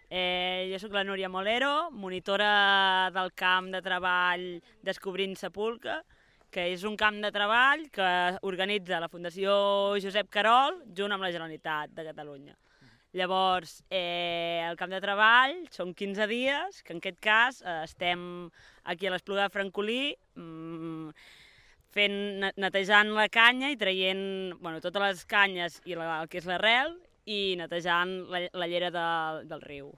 Jo sóc la Núria Molero, monitora del camp de treball Descobrint Sepulcre, que és un camp de treball que organitza la Fundació Josep Carol junt amb la Generalitat de Catalunya. Llavors, el camp de treball són 15 dies, que en aquest cas estem aquí a l'Espluga de Francolí, netejant la canya i traient totes les canyes i el que és l'arrel i netejant la llera del riu.